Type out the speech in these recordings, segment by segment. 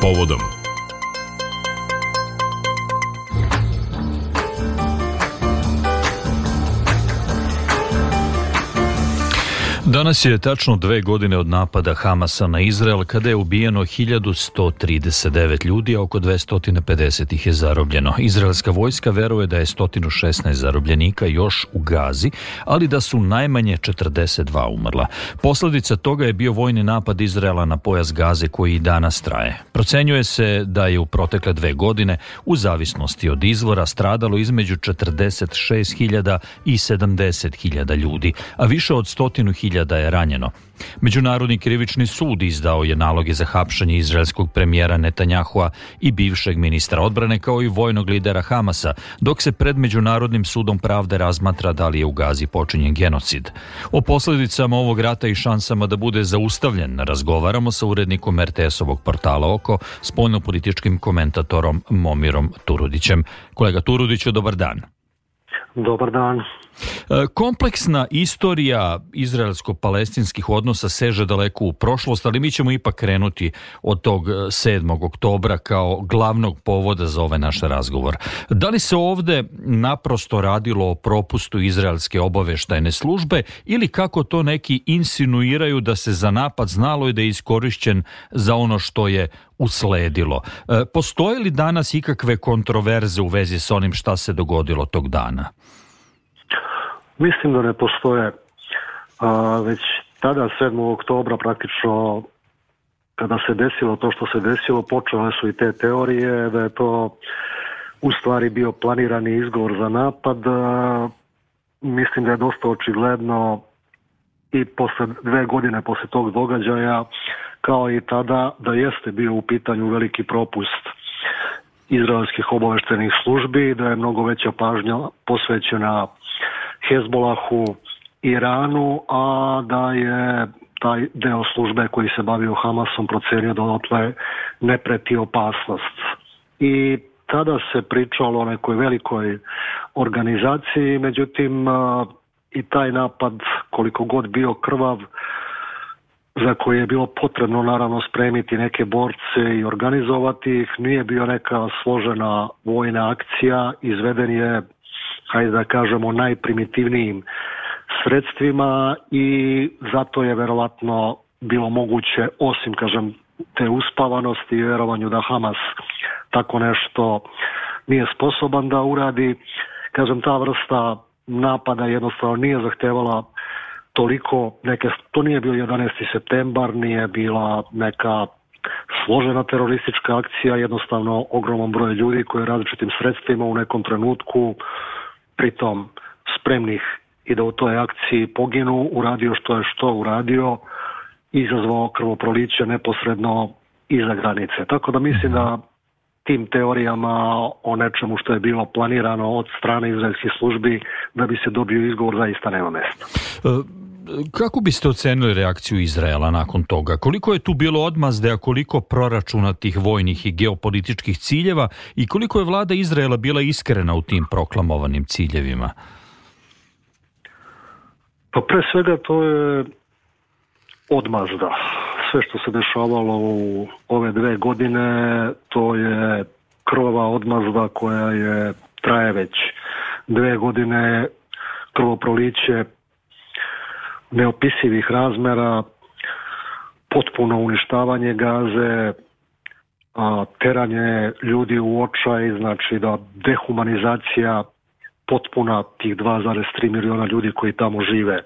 povodom. Danas je tačno 2 godine od napada Hamasa na Izrael, kada je ubijeno 1139 ljudi, a oko 250 ih je zarobljeno. Izraelska vojska veruje da je 116 zarobljenika još u Gazi, ali da su najmanje 42 umrla. Posljedica toga je bio vojni napad Izraela na pojas Gaze koji i danas traje. Procenjuje se da je u protekle 2 godine, u zavisnosti od izvora, stradalo između 46.000 i 70.000 ljudi, a više od 100.000 je ranjeno. Međunarodni krivični sud izdao je naloge za hapšenje izraelskog premijera Netanjahua i bivšeg ministra odbrane, kao i vojnog lidera Hamasa, dok se pred Međunarodnim sudom pravde razmatra da li je u Gazi počinjen genocid. O posljedicama ovog rata i šansama da bude zaustavljen razgovaramo sa urednikom RTS-ovog portala Oko, spoljnopolitičkim komentatorom Momirom Turudićem. Kolega Turudiću, dobar dan. Dobar dan. Kompleksna istorija izraelsko-palestinskih odnosa seže daleko u prošlost, ali mi ćemo ipak krenuti od tog 7. oktobra kao glavnog povoda za ovaj naš razgovor. Da li se ovdje naprosto radilo o propustu izraelske obavještajne službe ili, kako to neki insinuiraju, da se za napad znalo i da je iskorišćen za ono što je usledilo? Postoje li danas ikakve kontroverze u vezi s onim šta se dogodilo tog dana? Mislim da ne postoje. Već tada, 7. oktobra, praktično, kada se desilo to što se desilo, počele su i te teorije da je to u stvari bio planirani izgovor za napad. Mislim da je dosta očigledno i posle 2 godine posle tog događaja, kao i tada, da jeste bio u pitanju veliki propust izraelskih obavještajnih službi, da je mnogo veća pažnja posvećena Hezbolahu, Iranu, a da je taj deo službe koji se bavio Hamasom procenio da odatle ne preti opasnost. I tada se pričalo o nekoj velikoj organizaciji, međutim i taj napad, koliko god bio krvav, za koje je bilo potrebno naravno spremiti neke borce i organizovati ih, nije bio neka složena vojna akcija, izveden je, hajde da kažemo, najprimitivnijim sredstvima i zato je verovatno bilo moguće, osim, kažem, te uspavanosti i vjerovanju da Hamas tako nešto nije sposoban da uradi. Kažem, ta vrsta napada jednostavno nije zahtevala toliko to nije bio 11. septembar, nije bila neka složena teroristička akcija, jednostavno ogroman broj ljudi koji različitim sredstvima u nekom trenutku, pritom spremnih i da u toj akciji poginu, uradio što uradio, izazvao krvoproliće neposredno iza granice. Tako da mislim da tim teorijama o nečemu što je bilo planirano od strane izraelskih službi da bi se dobio izgovor zaista nema mjesta. Kako biste ocenili reakciju Izraela nakon toga? Koliko je tu bilo odmazde, a koliko proračunatih vojnih i geopolitičkih ciljeva i koliko je vlada Izraela bila iskrena u tim proklamovanim ciljevima? Pa pre svega to je odmazda. Sve što se dešavalo u ove 2 godine, to je krvava odmazda koja traje već 2 godine, krvoproliće neopisivih razmera, potpuno uništavanje Gaze, teranje ljudi u očaj, znači da dehumanizacija potpuna tih 2,3 miliona ljudi koji tamo žive.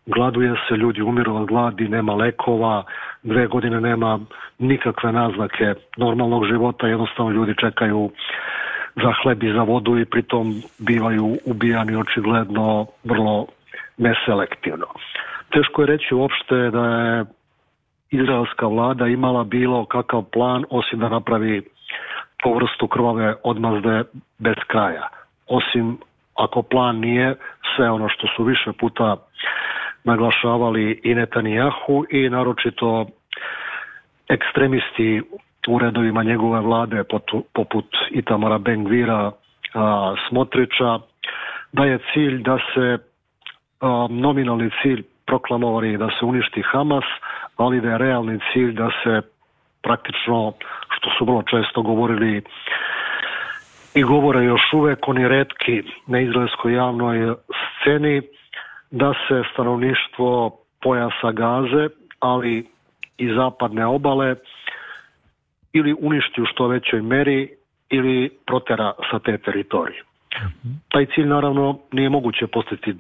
Gladuje se, ljudi umiru od gladi, nema lekova, 2 godine nema nikakve naznake normalnog života, jednostavno ljudi čekaju za hleb i za vodu i pritom bivaju ubijani očigledno vrlo neselektivno. Teško je reći uopšte da je izraelska vlada imala bilo kakav plan osim da napravi tu vrstu krvave odmazde bez kraja. Osim ako plan nije sve ono što su više puta naglašavali i Netanjahu i naročito ekstremisti u redovima njegove vlade poput Itamara Ben-Gvira, Smotrića, da je cilj da se nominalni cilj proklamovani da se uništi Hamas, ali da je realni cilj da se praktično, što što su vrlo često govorili i govore još uvek oni retki na izraelskoj javnoj sceni, da se stanovništvo pojasa Gaze, ali i zapadne obale, ili uništi u što većoj meri ili protera sa te teritorije. Taj cilj naravno nije moguće postići.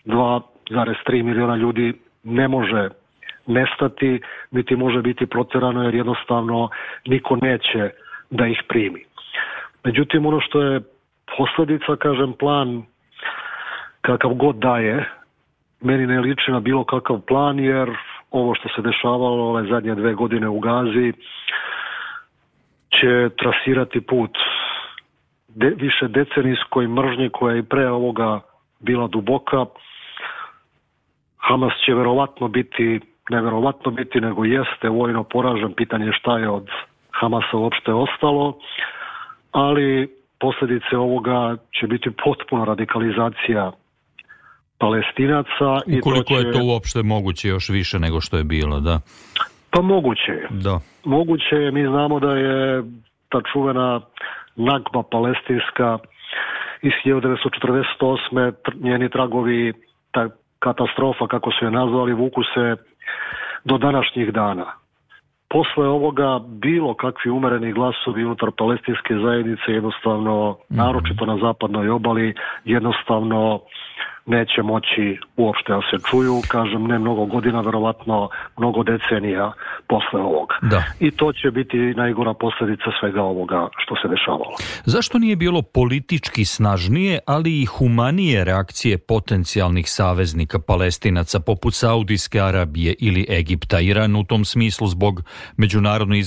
2,3 miliona ljudi ne može nestati, niti može biti proterano, jer jednostavno niko neće da ih primi. Međutim, ono što je posljedica, kažem, plan kakav god daje, meni ne liči na bilo kakav plan, jer ovo što se dešavalo ove zadnje 2 godine u Gazi će trasirati put više decenijskoj mržnji koja je i pre ovoga bila duboka. Hamas će neverovatno biti, nego jeste vojno poražen. Pitanje je šta je od Hamasa uopšte ostalo, ali posljedice ovoga će biti potpuna radikalizacija Palestinaca. Ukoliko je to uopšte moguće još više nego što je bilo, da? Pa moguće je. Da. Moguće je, mi znamo da je ta čuvena Nakba palestinska iz 1948. njeni tragovi, ta katastrofa, kako su je nazvali, vuku se do današnjih dana. Posle ovoga bilo kakvi umereni glasovi unutar palestinske zajednice jednostavno, naročito na zapadnoj obali, jednostavno neće moći uopšte da se čuju, kažem, ne mnogo godina, verovatno mnogo decenija posle ovoga. Da. I to će biti najgora posljedica svega ovoga što se dešavalo. Zašto nije bilo politički snažnije, ali i humanije reakcije potencijalnih saveznika Palestinaca poput Saudijske Arabije ili Egipta? Iran u tom smislu zbog međunarodne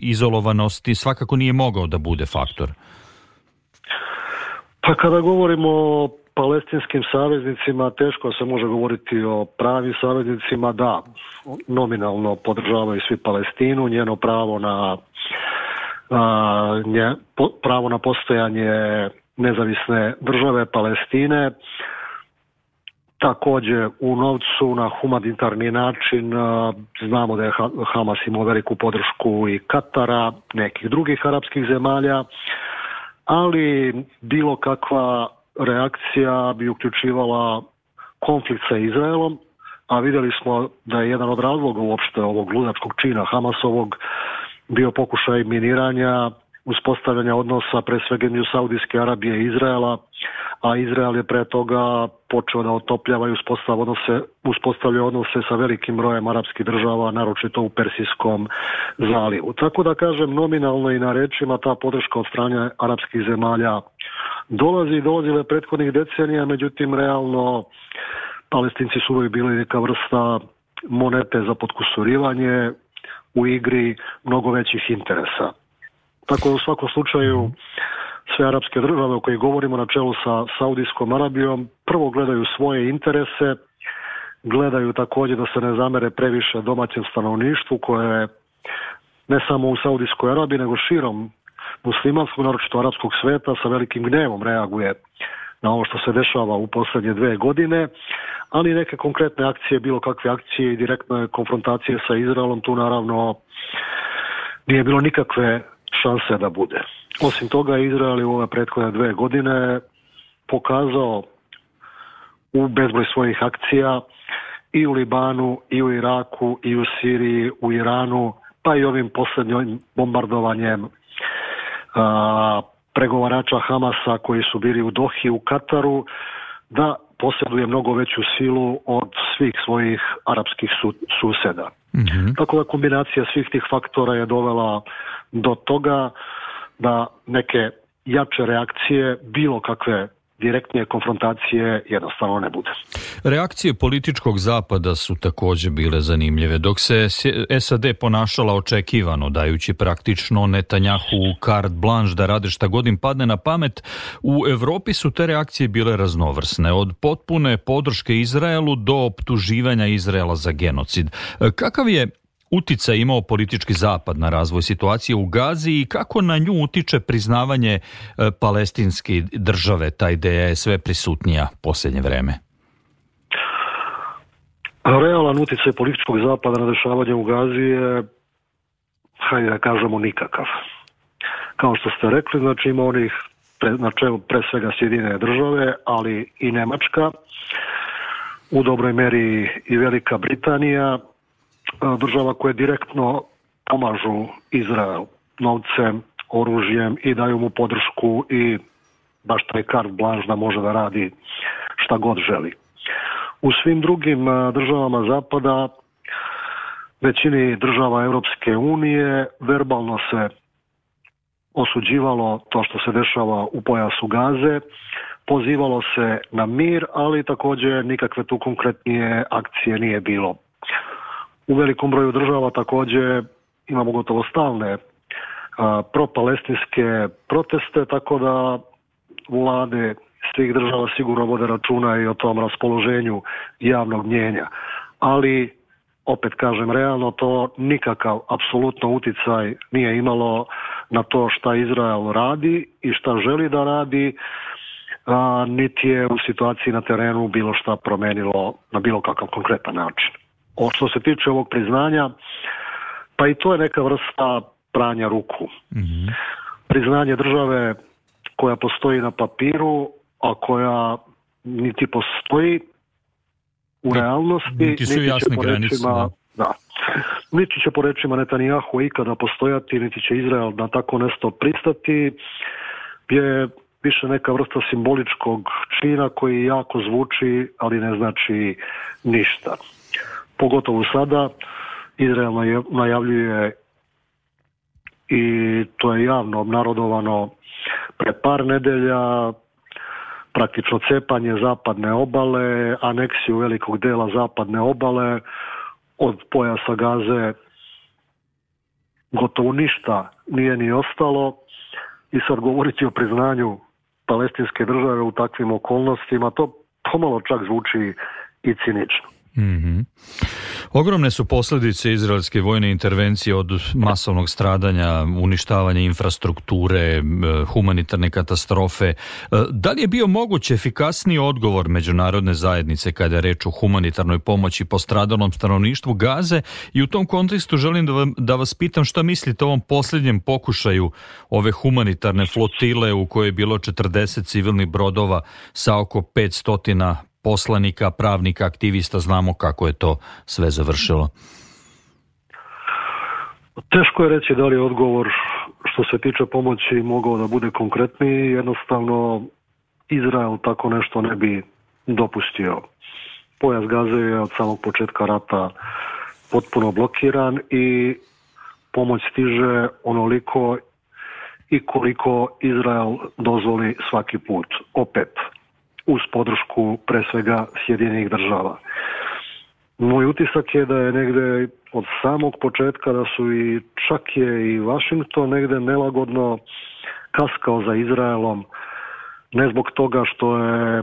izolovanosti svakako nije mogao da bude faktor. Pa kada govorimo o palestinskim saveznicima, teško se može govoriti o pravim saveznicima. Da, nominalno podržavaju svi Palestinu, njeno pravo na postojanje nezavisne države Palestine. Također u novcu na humanitarni način znamo da je Hamas imao veliku podršku i Katara, nekih drugih arapskih zemalja, ali bilo kakva reakcija bi uključivala konflikt sa Izraelom, a vidjeli smo da je jedan od razloga uopšte ovog ludačkog čina Hamasovog bio pokušaj miniranja, uspostavljanja odnosa pre svega između Saudijske Arabije i Izraela, a Izrael je pre toga počeo da otopljava i uspostavlja odnose sa velikim brojem arapskih država, naročito u Persijskom zalivu. Tako da kažem, nominalno i na rečima ta podrška od strane arapskih zemalja dolazile prethodnih decenija, međutim realno Palestinci su uvijek bili neka vrsta monete za potkusurivanje u igri mnogo većih interesa. Tako da u svakom slučaju sve arapske države o kojih govorimo na čelu sa Saudijskom Arabijom prvo gledaju svoje interese, gledaju također da se ne zamere previše domaćem stanovništvu koje ne samo u Saudijskoj Arabiji nego širom muslimanskog, naročito arapskog sveta, sa velikim gnevom reaguje na ovo što se dešava u posljednje 2 godine, ali neke konkretne akcije, bilo kakve akcije i direktne konfrontacije sa Izraelom, tu naravno nije bilo nikakve šanse da bude. Osim toga, Izrael je u ove prethodne 2 godine pokazao u bezbroj svojih akcija i u Libanu, i u Iraku, i u Siriji, u Iranu, pa i ovim posljednjim bombardovanjem pregovarača Hamasa koji su bili u Dohi, u Kataru, da posjeduje mnogo veću silu od svih svojih arapskih suseda. Mm-hmm. Tako da kombinacija svih tih faktora je dovela do toga da neke jače reakcije, bilo kakve direktnije konfrontacije jednostavno ne bude. Reakcije političkog zapada su također bile zanimljive. Dok se SAD ponašala očekivano, dajući praktično Netanjahu carte blanche da rade šta god im padne na pamet, u Europi su te reakcije bile raznovrsne. Od potpune podrške Izraelu do optuživanja Izraela za genocid. Kakav je uticaj imao politički zapad na razvoj situacije u Gazi i kako na nju utiče priznavanje palestinske države? Ta ideja je sve prisutnija posljednje vreme. Realan uticaj političkog zapada na dešavanje u Gazi je hajde da kažemo, nikakav. Kao što ste rekli, znači ima onih na čelu pre svega Sjedinjene države, ali i Nemačka, u dobroj meri i Velika Britanija, država koje direktno pomažu Izrael novcem, oružjem i daju mu podršku i baš taj carte blanche da može da radi šta god želi. U svim drugim državama Zapada, većini država Europske unije, verbalno se osuđivalo to što se dešava u pojasu Gaze, pozivalo se na mir, ali također nikakve tu konkretnije akcije nije bilo. U velikom broju država također imamo gotovo stalne propalestinske proteste, tako da vlade svih država sigurno vode računa i o tom raspoloženju javnog mnijenja. Ali, opet kažem, realno to nikakav apsolutno uticaj nije imalo na to šta Izrael radi i šta želi da radi, niti je u situaciji na terenu bilo šta promenilo na bilo kakav konkretan način. Što se tiče ovog priznanja, pa i to je neka vrsta pranja ruku. Mm-hmm. Priznanje države koja postoji na papiru, a koja niti postoji u realnosti, niti su jasne granice. Da. Niti će po rečima Netanjahu ikada postojati, niti će Izrael na tako nešto pristati, je više neka vrsta simboličkog čina koji jako zvuči, ali ne znači ništa. Pogotovo sada Izrael najavljuje, i to je javno obnarodovano pre par nedelja, praktično cepanje zapadne obale, aneksiju velikog dela zapadne obale, od pojasa Gaze gotovo ništa nije ni ostalo, i sad govoriti o priznanju palestinske države u takvim okolnostima, to pomalo čak zvuči i cinično. Mm-hmm. Ogromne su posljedice izraelske vojne intervencije, od masovnog stradanja, uništavanja infrastrukture, humanitarne katastrofe. Da li je bio moguć efikasniji odgovor međunarodne zajednice kada je reč o humanitarnoj pomoći postradalom stanovništvu Gaze? I u tom kontekstu želim da vas pitam šta mislite o ovom posljednjem pokušaju ove humanitarne flotile u kojoj je bilo 40 civilnih brodova sa oko 500 poslanika, pravnika, aktivista. Znamo kako je to sve završilo. Teško je reći da li je odgovor što se tiče pomoći mogao da bude konkretniji. Jednostavno Izrael tako nešto ne bi dopustio. Pojas Gaze je od samog početka rata potpuno blokiran i pomoć stiže onoliko i koliko Izrael dozvoli svaki put. Opet, uz podršku pre svega Sjedinjenih država. Moj utisak je da je negde od samog početka da su i čak je i Washington negde nelagodno kaskao za Izraelom, ne zbog toga što je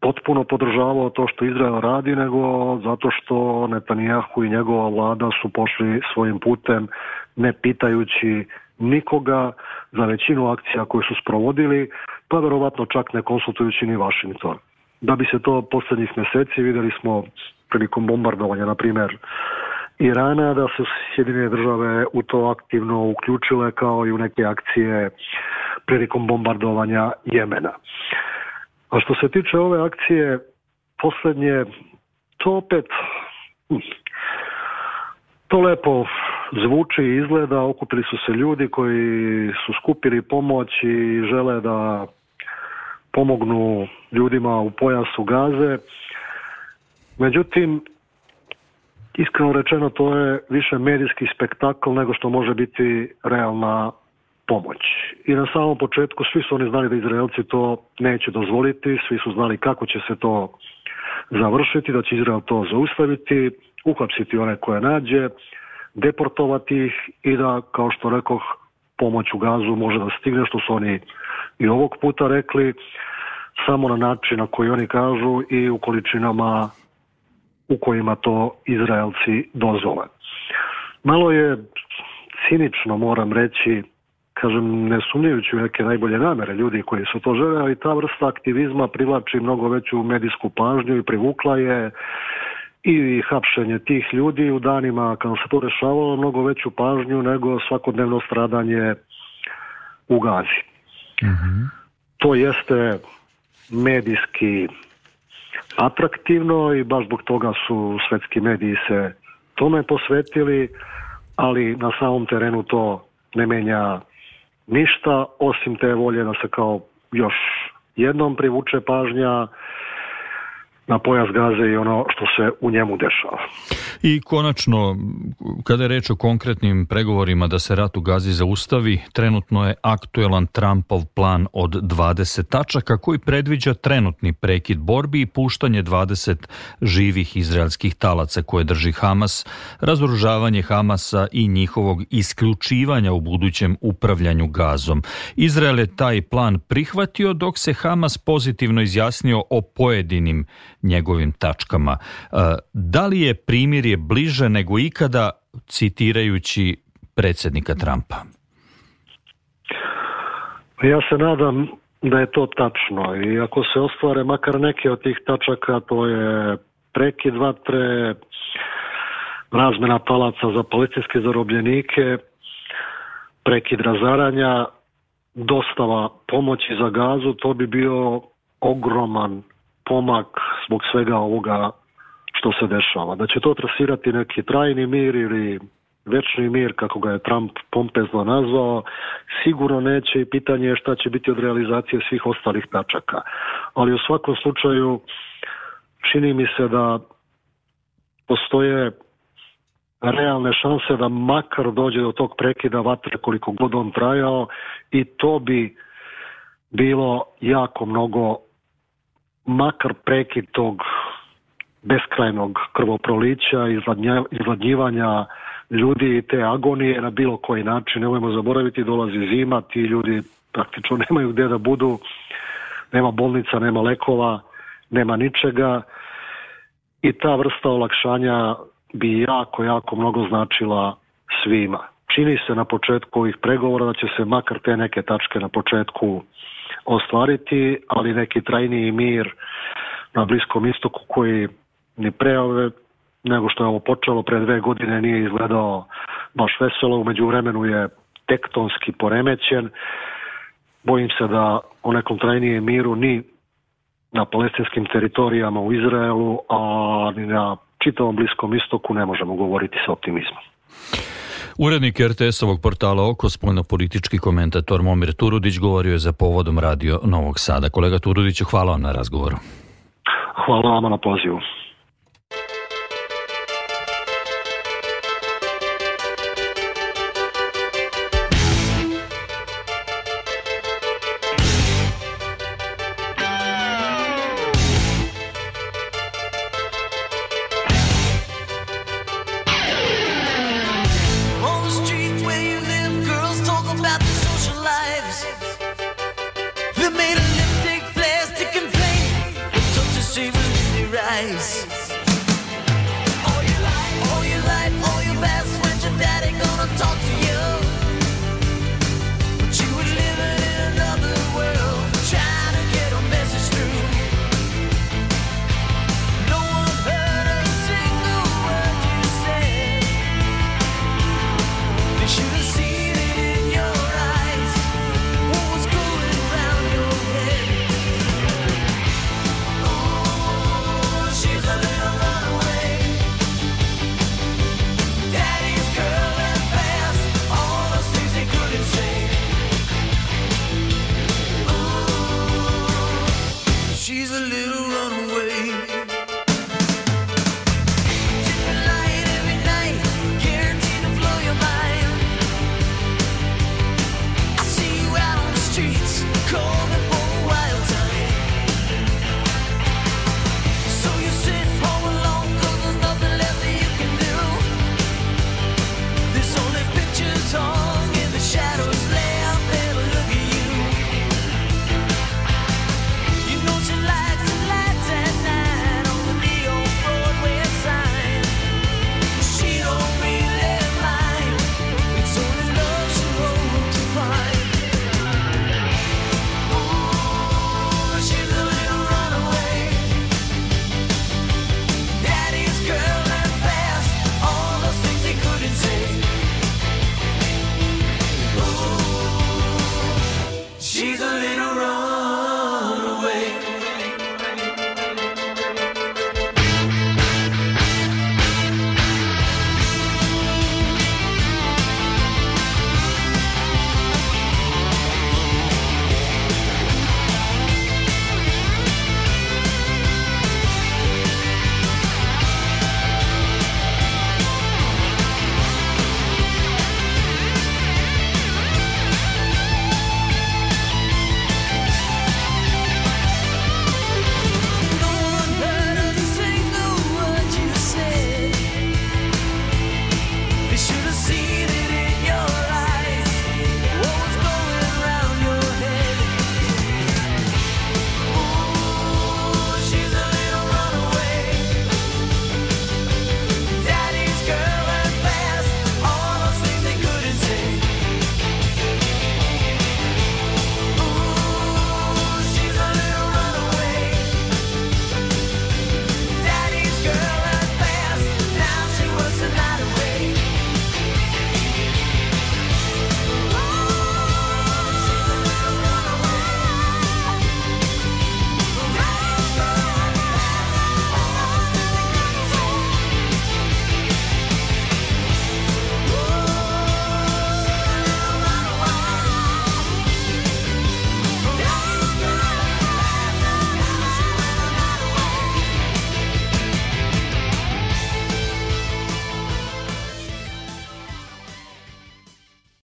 potpuno podržavao to što Izrael radi, nego zato što Netanjahu i njegova vlada su pošli svojim putem, ne pitajući nikoga za većinu akcija koje su sprovodili, pa verovatno čak ne konsultujući ni Washington. Da bi se to posljednjih mjeseci, vidjeli smo prilikom bombardovanja, na primjer, Irana, da su Sjedinjene države u to aktivno uključile, kao i u neke akcije prilikom bombardovanja Jemena. A što se tiče ove akcije posljednje, to opet to lepo zvuči i izgleda. Okupili su se ljudi koji su skupili pomoć i žele da pomognu ljudima u pojasu Gaze. Međutim, iskreno rečeno, to je više medijski spektakl nego što može biti realna pomoć. I na samom početku svi su oni znali da Izraelci to neće dozvoliti, svi su znali kako će se to završiti, da će Izrael to zaustaviti, uhapsiti one koje nađe, deportovati ih i da, kao što rekoh, pomoć u Gazu može da stigne, što su oni i ovog puta rekli, samo na način na koji oni kažu i u količinama u kojima to Izraelci dozvole. Malo je cinično, moram reći, kažem, ne sumnjajući u neke najbolje namere ljudi koji su to žele, ali ta vrsta aktivizma privlači mnogo veću medijsku pažnju i privukla je i hapšenje tih ljudi u danima kada se to rešavalo mnogo veću pažnju nego svakodnevno stradanje u Gazi. To jeste medijski atraktivno i baš zbog toga su svetski mediji se tome posvetili, ali na samom terenu to ne menja ništa, osim te volje da se kao još jednom privuče pažnja na pojas Gaze i ono što se u njemu dešava. I konačno, kada je reč o konkretnim pregovorima da se rat u Gazi zaustavi, trenutno je aktuelan Trumpov plan od 20 tačaka koji predviđa trenutni prekid borbi i puštanje 20 živih izraelskih talaca koje drži Hamas, razoružavanje Hamasa i njihovog isključivanja u budućem upravljanju Gazom. Izrael je taj plan prihvatio dok se Hamas pozitivno izjasnio o pojedinim njegovim tačkama. Da li je primirje bliže nego ikada, citirajući predsjednika Trumpa? Ja se nadam da je to tačno i ako se ostvare makar neke od tih tačaka, to je prekid vatre, razmena talaca za palestinske zarobljenike, prekid razaranja, dostava pomoći za Gazu, to bi bio ogroman pomak zbog svega ovoga što se dešava. Da će to trasirati neki trajni mir ili večni mir, kako ga je Trump pompezno nazvao, sigurno neće i pitanje je šta će biti od realizacije svih ostalih tačaka. Ali u svakom slučaju čini mi se da postoje realne šanse da makar dođe do tog prekida vatre koliko god on trajao i to bi bilo jako mnogo, makar prekid tog beskrajnog krvoprolića, izgladnjivanja ljudi i te agonije na bilo koji način. Nemojmo zaboraviti, dolazi zima, ti ljudi praktično nemaju gdje da budu, nema bolnica, nema lekova, nema ničega i ta vrsta olakšanja bi jako mnogo značila svima. Čini se na početku ovih pregovora da će se makar te neke tačke na početku ostvariti, ali neki trajniji mir na Bliskom istoku koji ni pre nego što je ovo počelo pre 2 godine nije izgledao baš veselo, u međuvremenu je tektonski poremećen. Bojim se da o nekom trajnijem miru ni na palestinskim teritorijama u Izraelu, a ni na čitavom Bliskom istoku ne možemo govoriti sa optimizmom. Urednik RTS-ovog portala Oko, spoljnopolitički komentator Momir Turudić govorio je za Povodom Radio Novog Sada. Kolega Turudiću, hvala vam na razgovoru. Hvala vam na pozivu.